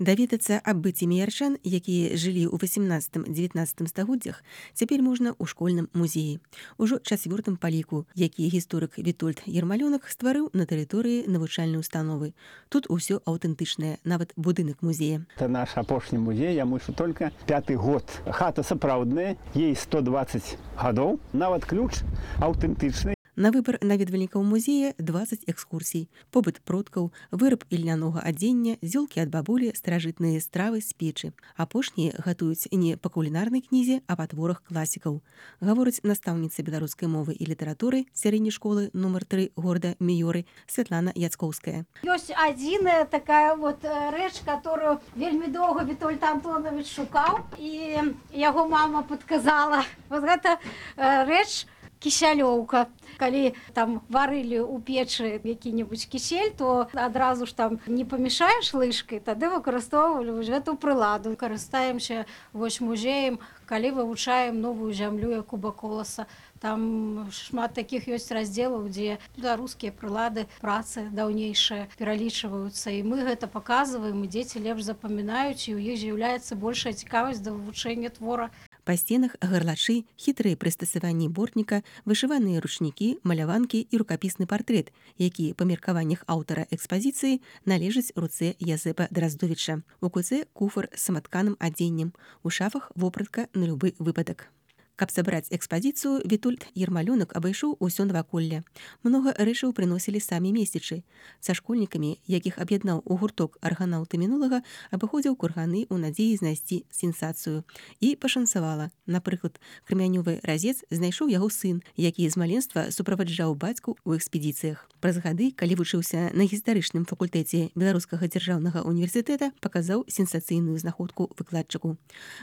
Даведацца аб быце міярчан, якія жылі ў 18-19 стагоддзях, цяпер можна ў школьным музеі. Ужо чацвёртым па ліку, які гісторык Вітольд Ермалёнак стварыў на тэрыторыі навучальнай установы. Тут усё аўтэнтычнае, нават будынак музея. Это наш апошні музей, яму яшчэ только 5-й год. Хата сапраўдная, ей 120 гадоў, нават ключ аўтэнтычны. На выбар наведвальнікаў музея 20 экскурсій. Побыт продкаў, выраб ільнянога адзення, зёлкі ад бабулі, старажытныя стравы з печы. Апошнія гатуюць не па кулінарнай кнізе, а па творах класікаў. Гаворыць настаўніца беларускай мовы і літаратуры сярэдняй школы нумар 3 горада Міёры Святлана Яцкоўская. Ёсць адзіная такая рэч, которую вельмі доўга Вітольд Антонович шукаў, і яго мама падказала. Вот гэта рэч кісялёўка. Калі там варылі ў печы які-небудзь кісель, то адразу ж там не памешаеш лыжкай, тады выкарыстоўвалі гэту прыладу. Карыстаемся музеем, калі вывучаем новую зямлю як Куба Коласа. Там шмат такіх ёсць раздзелаў, дзе беларускія прылады працы даўнейшыя пералічваюцца. І мы гэта паказваем, і дзеці лепш запамінаюць, і ў іх з'яўляецца большая цікавасць да вывучэння твора. Па сценах гарлачы, хітрыя прыстасаванні бортніка, вышываныя ручнікі, маляванкі і рукапісны партрэт, які па меркаваннях аўтара экспазіцыі належаць руцэ Язэпа Драздовіча. У куцэ куфар з саматканым адзеннем, у шафах вопратка на любы выпадак. Каб сабраць экспазіцыю, Вітольд Ермалёнак абайшоў усё наваколле. Многа рэчаў прыносілі самі месцічы. Са школьнікамі, якіх аб'яднаў у гурток арганаўты мінулага, абыходзіў курганы ў надзеі знайсці сенсацыю. І пашанцавала. Напрыклад, крамянёвы разец знайшоў яго сын, які з маленства суправаджаў бацьку ў экспедыцыях. Праз гады, калі вучыўся на гістарычным факультэце Беларускага дзяржаўнага універсітэта, паказаў сенсацыйную знаходку выкладчыку.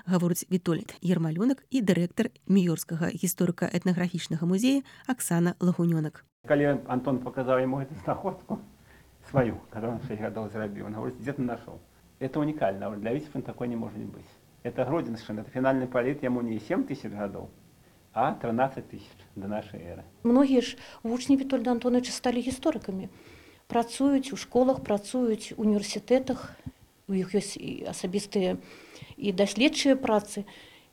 Гаворыць Вітольд Ермалёнак і дырэктар Міёрскага гісторыка-этнаграфічнага музея Аксана Лагунёнак. Калі Антон паказаў яму эту знаходку сваю, которую он 6 гадоў зрабіў, он говорит, где ты нашел? Это уникально, для Витебска такой не может быть. Это Гродзеншчына, это фінальны паліт, яму не 7 тысяч гадоў, а 13 тысяч до нашай эры. Многія ж вучні Вітольда Антоновича сталі гісторыкамі. Працуюць у школах, працуюць у універсітэтах, у іх ёсць і асабістыя і даследчыя працы.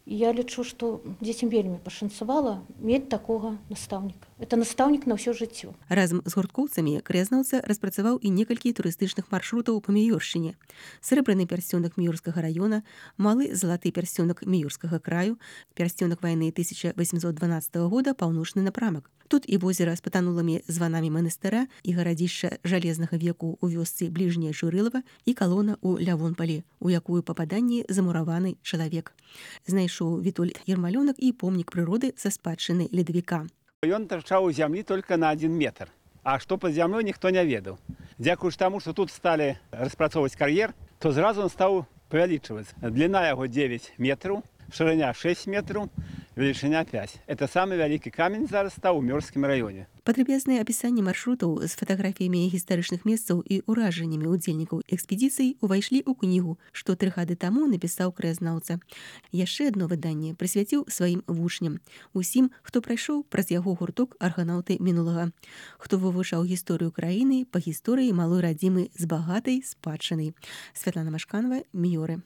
І я лічу, што дзецям вельмі пашанцавала мець такога настаўніка. Это настаўнік на ўсё жыццё. Разам з гурткоўцамі краязнаўца распрацаваў і некалькі турыстычных маршрутаў па Міёршчыне. Срэбраны пярсцёнак Міёрскага раёна, малы залаты пярсцёнак Міёрскага краю, пярсцёнак вайны 1812 года, паўночны напрамак. Тут і возера з патанулымі званамі манастыра, і гарадзішча жалезнага веку ў вёсцы бліжняе Журылава, і калона ў Лявонпалі, у якую пападанні замураваны чалавек. Знайшоў Вітольд Ермалёнак і помнік прыроды са спадчыны ледавіка. Ён тарчаў у зямлі только на 1 метр, а што пад зямлёй ніхто не ведаў. Дзякуючы таму, што тут сталі распрацоўваць кар'ер, то зразу он стаў павялічваць. Дліна яго 9 метраў, шырыня 6 метраў, велічыня 5. Это самы вялікі камень зараз стаў у Мёрскім раёне. Падрабязнае апісанне маршрутаў з фатаграфіямі гістарычных месцаў і ўражаннямі ўдзельнікаў экспедыцый увайшлі ў кнігу, што 3 гады таму напісаў краязнаўца. Яшчэ адно выданне прысвяціў сваім вучням, усім, хто прайшоў праз яго гурток арганаўты мінулага, хто вывучаў гісторыю краіны па гісторыі малой радзімы з багатай спадчынай. Святлана Машканова, Міёры.